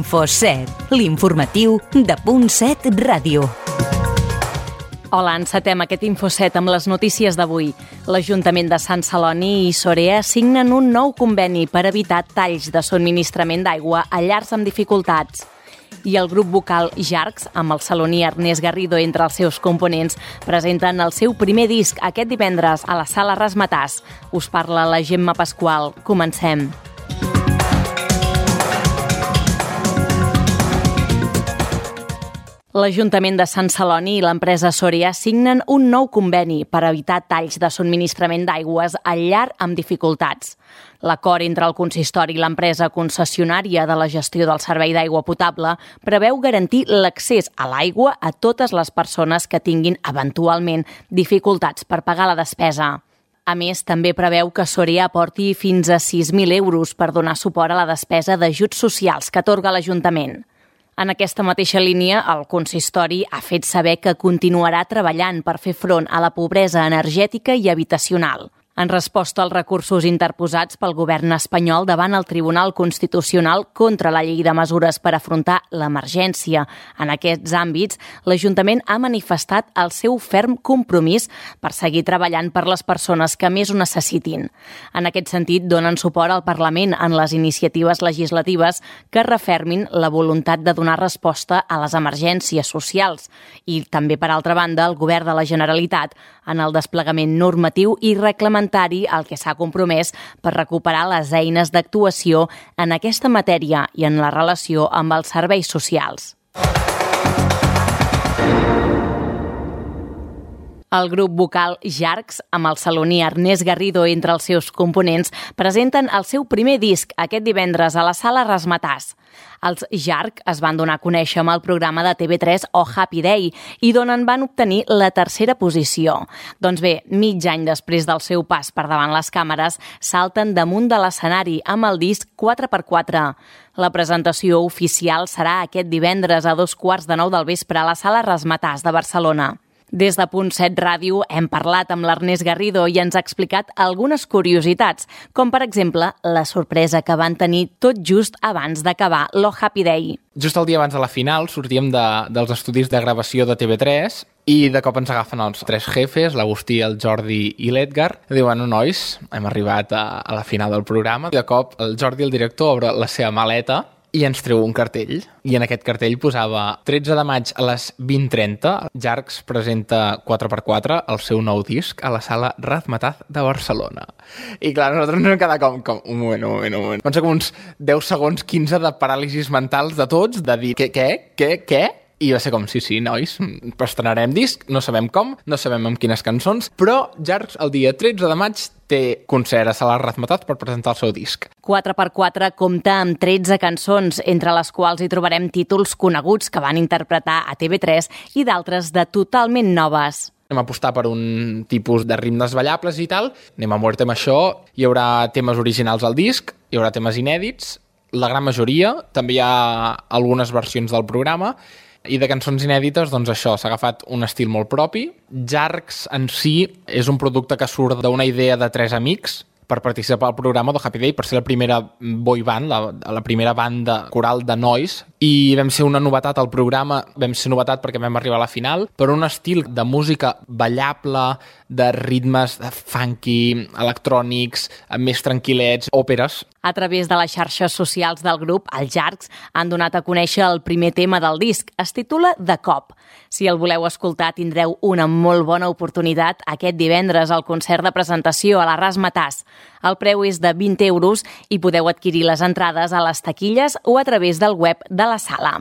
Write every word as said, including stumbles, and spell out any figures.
Infoset, l'informatiu de Punt set Ràdio. Hola, encetem aquest Infoset amb les notícies d'avui. L'Ajuntament de Sant Celoni i Sorea signen un nou conveni per evitar talls de subministrament d'aigua a llars amb dificultats. I el grup vocal Jarcs, amb el saloní Ernest Garrido entre els seus components, presenten el seu primer disc aquest divendres a la Sala Razzmatazz. Us parla la Gemma Pasqual. Comencem. L'Ajuntament de Sant Celoni i l'empresa Sorea signen un nou conveni per evitar talls de subministrament d'aigües al llar amb dificultats. L'acord entre el consistori i l'empresa concessionària de la gestió del servei d'aigua potable preveu garantir l'accés a l'aigua a totes les persones que tinguin eventualment dificultats per pagar la despesa. A més, també preveu que Sorea aporti fins a sis mil euros per donar suport a la despesa d'ajuts socials que atorga l'Ajuntament. En aquesta mateixa línia, el consistori ha fet saber que continuarà treballant per fer front a la pobresa energètica i habitacional. En resposta als recursos interposats pel govern espanyol davant el Tribunal Constitucional contra la llei de mesures per afrontar l'emergència en aquests àmbits, l'Ajuntament ha manifestat el seu ferm compromís per seguir treballant per les persones que més ho necessitin. En aquest sentit, donen suport al Parlament en les iniciatives legislatives que refermin la voluntat de donar resposta a les emergències socials i també, per altra banda, el Govern de la Generalitat en el desplegament normatiu i reglamentari al que s'ha compromès per recuperar les eines d'actuació en aquesta matèria i en la relació amb els serveis socials. El grup vocal Jarcs, amb el saloní Ernest Garrido entre els seus components, presenten el seu primer disc aquest divendres a la Sala Razzmatazz. Els Jarc es van donar a conèixer amb el programa de T V tres Oh Happy Day i d'on en van obtenir la tercera posició. Doncs bé, mig any després del seu pas per davant les càmeres, salten damunt de l'escenari amb el disc quatre per quatre. La presentació oficial serà aquest divendres a dos quarts de nou del vespre a la Sala Razzmatazz de Barcelona. Des de Punt set Ràdio hem parlat amb l'Ernest Garrido i ens ha explicat algunes curiositats, com per exemple la sorpresa que van tenir tot just abans d'acabar l'O Happy Day. Just el dia abans de la final sortíem de, dels estudis de gravació de T V tres i de cop ens agafen els tres jefes, l'Agustí, el Jordi i l'Edgar. Diuen, nois, hem arribat a, a la final del programa. I de cop el Jordi, el director, obre la seva maleta i ens treu un cartell. I en aquest cartell posava tretze de maig a les vint trenta. Jarcs presenta quatre per quatre el seu nou disc a la Sala Razzmatazz de Barcelona. I clar, nosaltres ens vam quedar com, com un moment, un moment, un moment. Van ser com uns deu segons, quinze de paràlisis mentals de tots, de dir, què, què, què, què? I va ser com, sí, sí, nois, estrenarem disc, no sabem com, no sabem amb quines cançons, però Jarcs el dia tretze de maig té concert a Sala Razzmatazz per presentar el seu disc. quatre per quatre compta amb tretze cançons, entre les quals hi trobarem títols coneguts que van interpretar a T V tres i d'altres de totalment noves. Anem a apostar per un tipus de ritmes ballables i tal, anem a muerte amb això, hi haurà temes originals al disc, hi haurà temes inèdits, la gran majoria, també hi ha algunes versions del programa, i de cançons inèdites, doncs això, s'ha agafat un estil molt propi. Jarcs en si és un producte que surt d'una idea de tres amics per participar al programa de Happy Day, per ser la primera boy band, la, la primera banda coral de nois, i vam ser una novetat al programa, vam ser novetat perquè vam arribar a la final, per un estil de música ballable, de ritmes de funky, electrònics, més tranquil·lets, òperes. A través de les xarxes socials del grup, els Jarcs han donat a conèixer el primer tema del disc. Es titula De cop. Si el voleu escoltar, tindreu una molt bona oportunitat aquest divendres al concert de presentació a la Razzmatazz. El preu és de vint euros i podeu adquirir les entrades a les taquilles o a través del web de la sala.